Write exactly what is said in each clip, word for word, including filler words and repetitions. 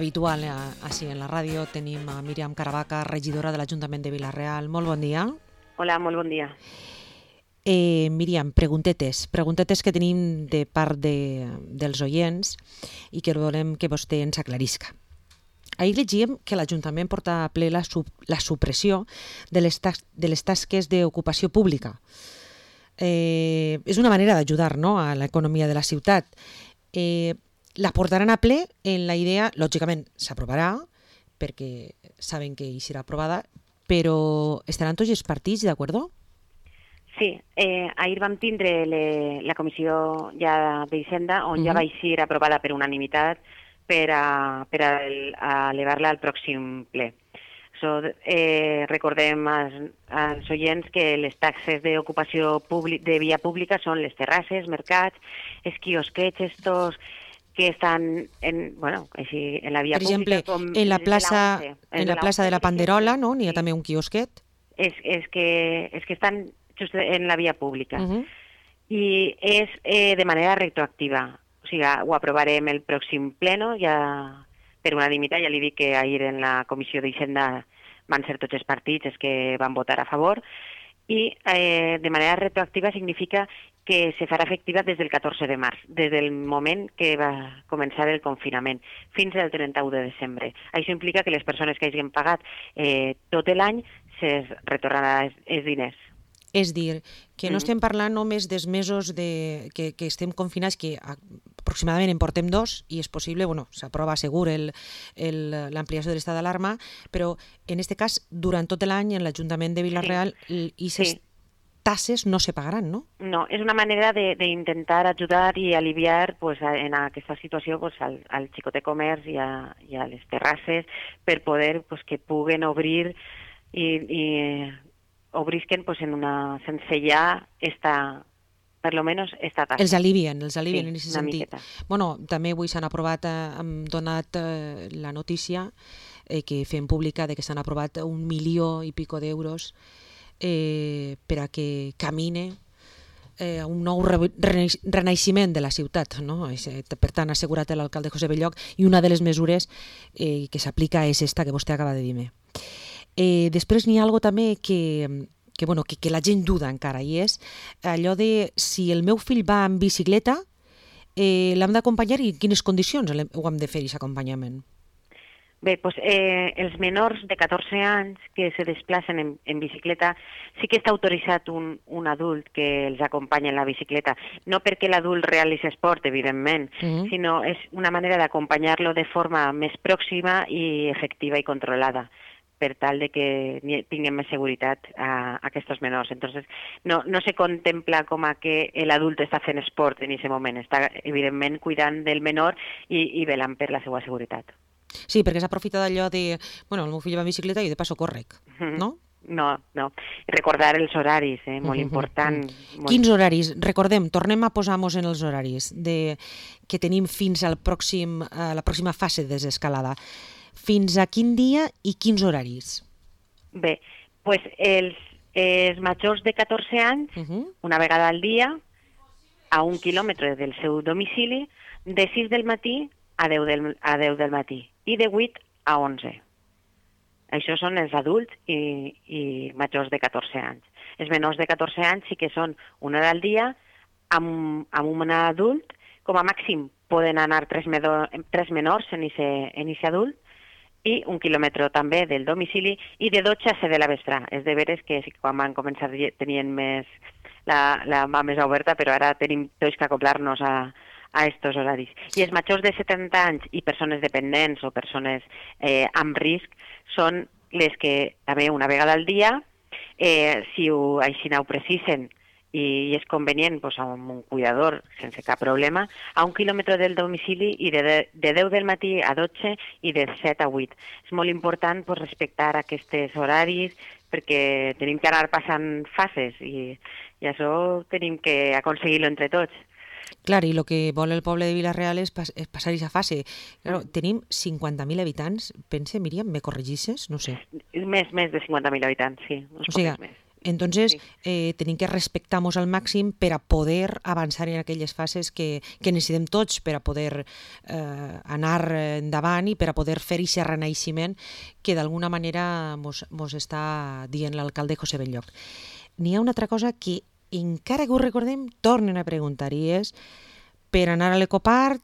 Habitual, així en la ràdio, tenim a Míriam Caravaca, regidora de l'Ajuntament de Vila-real. Molt bon dia. Hola, molt bon dia. Eh, Míriam, preguntetes, preguntetes que tenim de part de, dels oients i que volem que vostè ens aclarisca. Ahir llegíem que l'Ajuntament porta a ple la, sub, la supressió de les, tas, de les tasques d'ocupació pública. Eh, és una manera d'ajudar, no?, a l'economia de la ciutat. Eh, la portaran a ple en la idea, lògicament s'aprovarà, perquè saben que hi serà aprovada, però estaran tots els partits d'acord? Sí, eh, ahir vam tindre le, la comissió ja d'Hisenda, on uh-huh. ja va ser aprovada per unanimitat per a, per a, a elevar-la al pròxim ple. So, eh, recordem als, als oients que les taxes d'ocupació de via pública són les terrasses, mercats, els quiosquets, estos que estan en, bueno, així, en la via per exemple, pública. Com en la plaça, la en la plaça de la Panderola, no? N'hi ha sí. també un quiosquet? És, és, que, és que estan just en la via pública. Uh-huh. I és eh, de manera retroactiva. O sigui, ho aprovarem el pròxim pleno, ja per unanimitat, ja li dic que ahir en la comissió d'Hisenda van ser tots els partits els que van votar a favor, i eh, de manera retroactiva significa que se farà efectiva des del catorze de març, des del moment que va començar el confinament, fins al trenta-u de desembre. Això implica que les persones que hagin pagat eh, tot l'any se retornaran els diners. És dir, que no estem parlant només dels mesos de, que, que estem confinats, que aproximadament en portem dos, i és possible, bueno, s'aprova segur l'ampliació de l'estat d'alarma, però en aquest cas, durant tot l'any, en l'Ajuntament de Vila-real, sí. i aquestes sí. tasses no se pagaran, no? No, és una manera d'intentar ajudar i aliviar pues, en aquesta situació pues, al, al xicot de comerç i a, i a les terrasses per poder pues, que puguen obrir i... i obrisquen pues, en una sense ja esta, per lo menos esta tassa. Els alivien, els alivien sí, en aquest sentit. Miqueta. Bueno, també avui s'han aprovat, eh, hem donat eh, la notícia eh, que fem pública de que s'han aprovat un milió i pico d'euros eh, per a que camine eh, un nou re renaixement de la ciutat, no? Per tant, ha assegurat l'alcalde José Belloc, i una de les mesures eh, que s'aplica és esta que vostè acaba de dir-me. Eh, després n'hi ha algo també que, que, bueno, que, que la gent duda encara, i és allò de si el meu fill va en bicicleta, eh, l'hem d'acompanyar i en quines condicions ho hem de fer, aquest acompanyament? Bé, doncs, eh, els menors de catorze anys que se desplacen en, en bicicleta, sí que està autoritzat un, un adult que els acompanya en la bicicleta, no perquè l'adult realitzi esport, evidentment, mm-hmm. sinó és una manera d'acompanyar-lo de forma més pròxima i efectiva i controlada, per tal de que tinguem més seguretat a, a aquests menors. Entonces, no, no se contempla com a que l'adult està fent esport en aquest moment, està evidentment cuidant del menor i, i velant per la seva seguretat. Sí, perquè s'aprofita d'allò de, bueno, el meu fill va en bicicleta i de passo correc, no? No, no. Recordar els horaris, eh? Molt important. Molt... Quins horaris? Recordem, tornem a posar-nos en els horaris de, que tenim fins al pròxim, a la pròxima fase de desescalada. Fins a quin dia i quins horaris? Bé, doncs els, els majors de catorze anys, uh-huh. una vegada al dia, a un quilòmetre del seu domicili, de sis del matí a deu del, a deu del matí i de vuit a onze. Això són els adults i, i majors de catorze anys. Els menors de catorze anys sí que són una hora al dia, amb, amb un adult, com a màxim poden anar tres, menor, tres menors en aquest adult, i un quilòmetre també del domicili, i de dotze a set de la vesprà. És de veres que quan van començar tenien més la, la mà més oberta, però ara tenim tots que acoplar-nos a, a estos horaris. I els majors de setanta anys i persones dependents o persones eh, amb risc són les que també una vegada al dia, eh, si ho, així ho precisen, i és convenient doncs, amb un cuidador sense cap problema, a un quilòmetre del domicili i de, de deu del matí a dotze i de set a vuit. És molt important doncs, respectar aquests horaris perquè tenim que anar passant fases i, i això tenim que aconseguir-lo entre tots. Clar, i el que vol el poble de Vila-real és, pas, és passar aquesta fase. Claro, tenim cinquanta mil habitants, pense, Míriam, me corregisses? No sé. Més, més de cinquanta mil habitants, sí. O sigui, més. Entonces, Sí. eh, tenim que respectar-nos al màxim per a poder avançar en aquelles fases que, que necessitem tots per a poder eh, anar endavant i per a poder fer aquest renaixement que d'alguna manera mos, mos està dient l'alcalde José Belloc. N'hi ha una altra cosa que, encara que ho recordem, tornen a preguntar, i és per anar a l'Ecopart,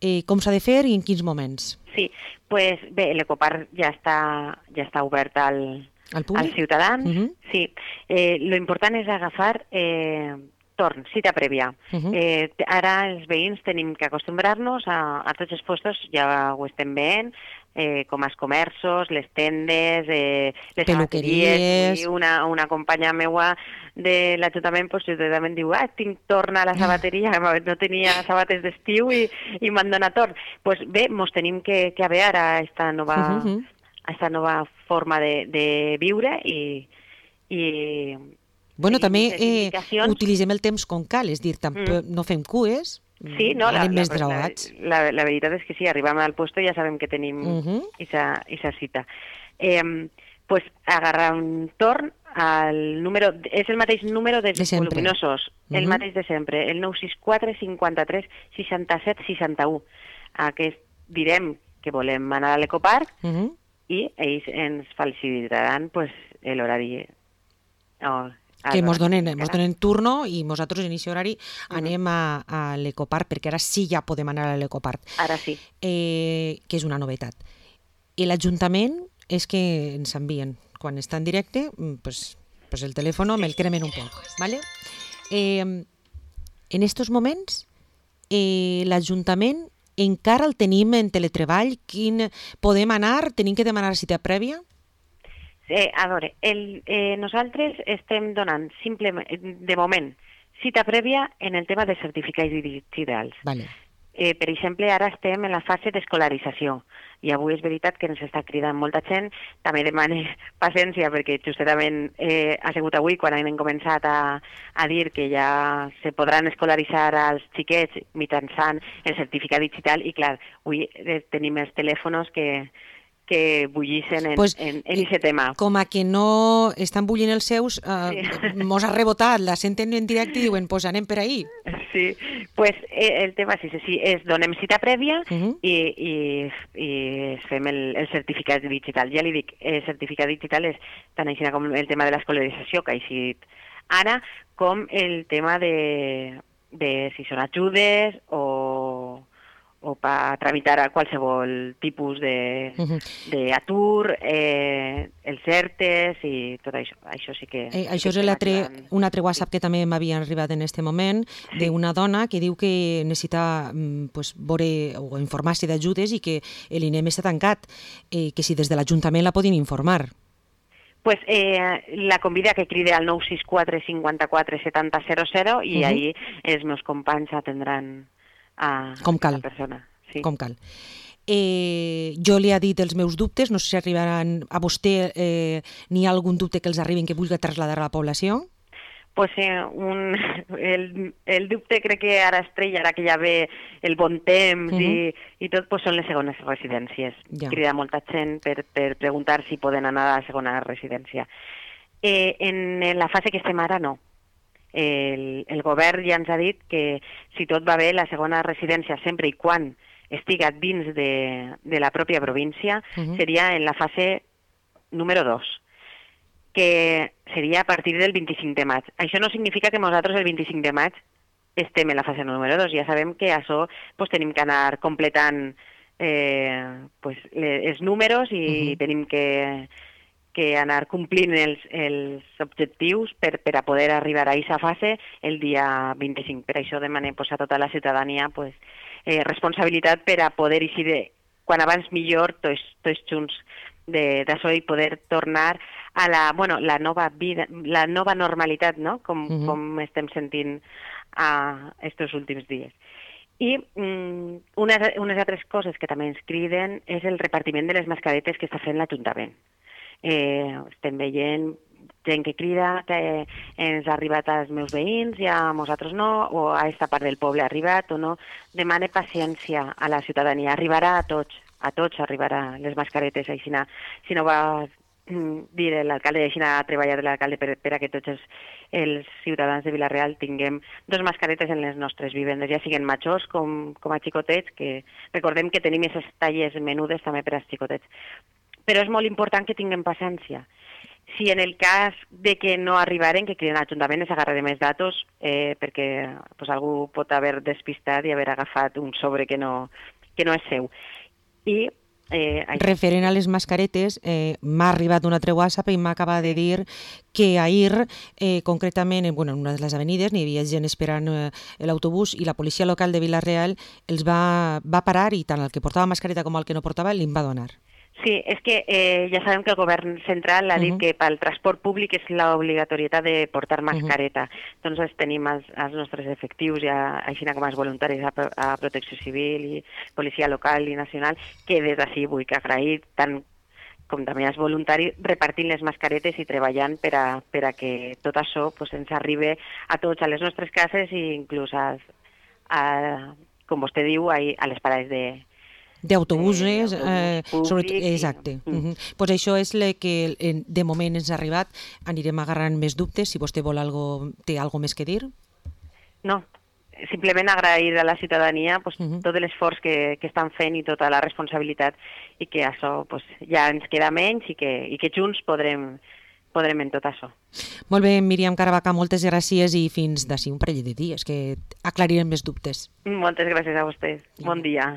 eh, com s'ha de fer i en quins moments. Sí, pues bé, l'Ecopart ja està, ja està obert al, Al públic? als ciutadans. Uh -huh. Sí, eh, lo important és agafar eh, torn, cita prèvia. Uh -huh. eh, ara els veïns tenim que acostumbrar-nos a, a tots els puestos, ja ho estem veient, eh, com els comerços, les tendes, eh, les peluqueries. Una, una companya meua de l'Ajuntament pues, justament diu, ah, tinc torn a la sabateria, no tenia sabates d'estiu i, i m'han donat torn. Pues bé, mos tenim que, que haver a esta nova... Uh -huh. a esta nova forma de, de viure i... i bueno, i també eh, utilitzem el temps com cal, és dir, mm. no fem cues, sí, no, anem la, més la, drogats. La, la, la veritat és que sí, arribam al puesto i ja sabem que tenim uh -huh. esa, esa cita. Eh, pues agarrar un torn al número, és el mateix número dels de voluminosos, uh -huh. el mateix de sempre, el nou sis quatre cinquanta-tres seixanta-set seixanta-u. Aquest direm que volem anar a l'Ecoparc, uh -huh. i ells ens facilitaran pues, l'horari. Oh, que ens donen, mos donen turno i nosaltres en aquest horari anem a, a l'Ecoparc, perquè ara sí ja podem anar a l'Ecoparc. Ara sí. Eh, que és una novetat. I l'Ajuntament és que ens envien. Quan està en directe, pues, pues el telèfon me'l cremen un poc. ¿Vale? Eh, en estos moments, eh, l'Ajuntament encara el tenim en teletreball? Quin podem anar? Tenim que demanar cita prèvia? Eh, a veure, el, eh, nosaltres estem donant simplement, de moment, cita prèvia en el tema de certificats digitals. Vale. Eh, per exemple, ara estem en la fase d'escolarització i avui és veritat que ens està cridant molta gent. També demane paciència perquè justament eh, ha sigut avui quan hem començat a, a dir que ja se podran escolaritzar als xiquets mitjançant el certificat digital i clar, avui eh, tenim els telèfons que que bullissen en, pues, en, en aquest tema. Com a que no estan bullint els seus, eh, sí. mos ha rebotat, la senten en directe i diuen, pues anem per ahí. Sí, pues eh, el tema sí, sí, és donem cita prèvia uh -huh. i, i, i fem el, el certificat digital. Ja li dic, el certificat digital és tan així com el tema de l'escolarització, que ha eixit ara, com el tema de, de si són ajudes o... o per tramitar a qualsevol tipus d'atur, uh -huh. eh, els ERTES i tot això. Això sí que... Eh, això és altre, un altre WhatsApp que també m'havia arribat en aquest moment, sí. d'una dona que diu que necessita pues, veure o informar-se d'ajudes i que l'I N E M està tancat, eh, que si des de l'Ajuntament la podin informar. Pues eh, la convida que cride al nou sis quatre cinquanta-quatre setanta zero zero i uh -huh. ahir els meus companys atendran a com cal. la persona. Sí. Com cal. Eh, jo li he dit els meus dubtes, no sé si arribaran a vostè, eh, n'hi ha algun dubte que els arribin que vulgui traslladar a la població? Pues eh, un, el, el dubte crec que ara estrella, ara que ja ve el bon temps uh -huh. i, i tot, pues són les segones residències. Ja. Crida molta gent per, per preguntar si poden anar a la segona residència. Eh, en la fase que estem ara, no. El, el govern ja ens ha dit que si tot va bé, la segona residència, sempre i quan estiga dins de, de la pròpia província, uh -huh. seria en la fase número dos, que seria a partir del vint-i-cinc de maig. Això no significa que nosaltres el vint-i-cinc de maig estem en la fase número dos. Ja sabem que això pues, tenim que anar completant eh, pues, els números i uh -huh. tenim que... que anar complint els, els objectius per, per a poder arribar a aquesta fase el dia vint-i-cinc. Per això demanem pues, a tota la ciutadania pues, eh, responsabilitat per a poder eixir de, quan abans millor tots, tots junts d'això i poder tornar a la, bueno, la nova vida, la nova normalitat, no? com, uh-huh. com estem sentint a estos últims dies. I mm, unes, unes altres coses que també ens criden és el repartiment de les mascaretes que està fent l'Ajuntament. Eh, estem veient gent que crida que ens ha arribat als meus veïns i a nosaltres no, o a aquesta part del poble ha arribat o no. Demane paciència a la ciutadania, arribarà a tots, a tots arribarà les mascaretes, així si no va dir l'alcalde i així anar a treballar de l'alcalde per, per a que tots els, els ciutadans de Vila-real tinguem dos mascaretes en les nostres vivendes, ja siguin majors com, com a xicotets, que recordem que tenim aquestes talles menudes també per als xicotets. Però és molt important que tinguem paciència. Si en el cas de que no arribaren, que criden a l'Ajuntament, s'agarrarem més datos, eh, perquè pues, algú pot haver despistat i haver agafat un sobre que no, que no és seu. I Eh, referent a les mascaretes, eh, m'ha arribat un altre WhatsApp i m'acaba de dir que ahir, eh, concretament, bueno, en una de les avenides, n'hi havia gent esperant eh, l'autobús i la policia local de Vila-real els va, va parar i tant el que portava mascareta com el que no portava li va donar. Sí, és que eh, ja sabem que el govern central ha dit uh -huh. que pel transport públic és l'obligatorietat de portar mascareta. Uh -huh. Doncs tenim els, els nostres efectius, ja, així com els voluntaris a, a Protecció Civil i Policia Local i Nacional, que des d'ací vull que agrair tant com també els voluntaris repartint les mascaretes i treballant per a, per a que tot això pues, ens arribi a tots, a les nostres cases i inclús a, a com vostè diu, a, a les parades de d'autobusos, eh, sobretot, exacte. Mm. Uh-huh. Pues això és el que de moment ens ha arribat. Anirem agarrant més dubtes. Si vostè vol algo, té alguna més que dir? No, simplement agrair a la ciutadania pues, uh-huh. tot l'esforç que, que estan fent i tota la responsabilitat i que això pues, ja ens queda menys i que, i que junts podrem, podrem en tot això. Molt bé, Míriam Caravaca, moltes gràcies i fins d'ací un parell de dies, que aclarirem més dubtes. Moltes gràcies a vostès. Bon dia.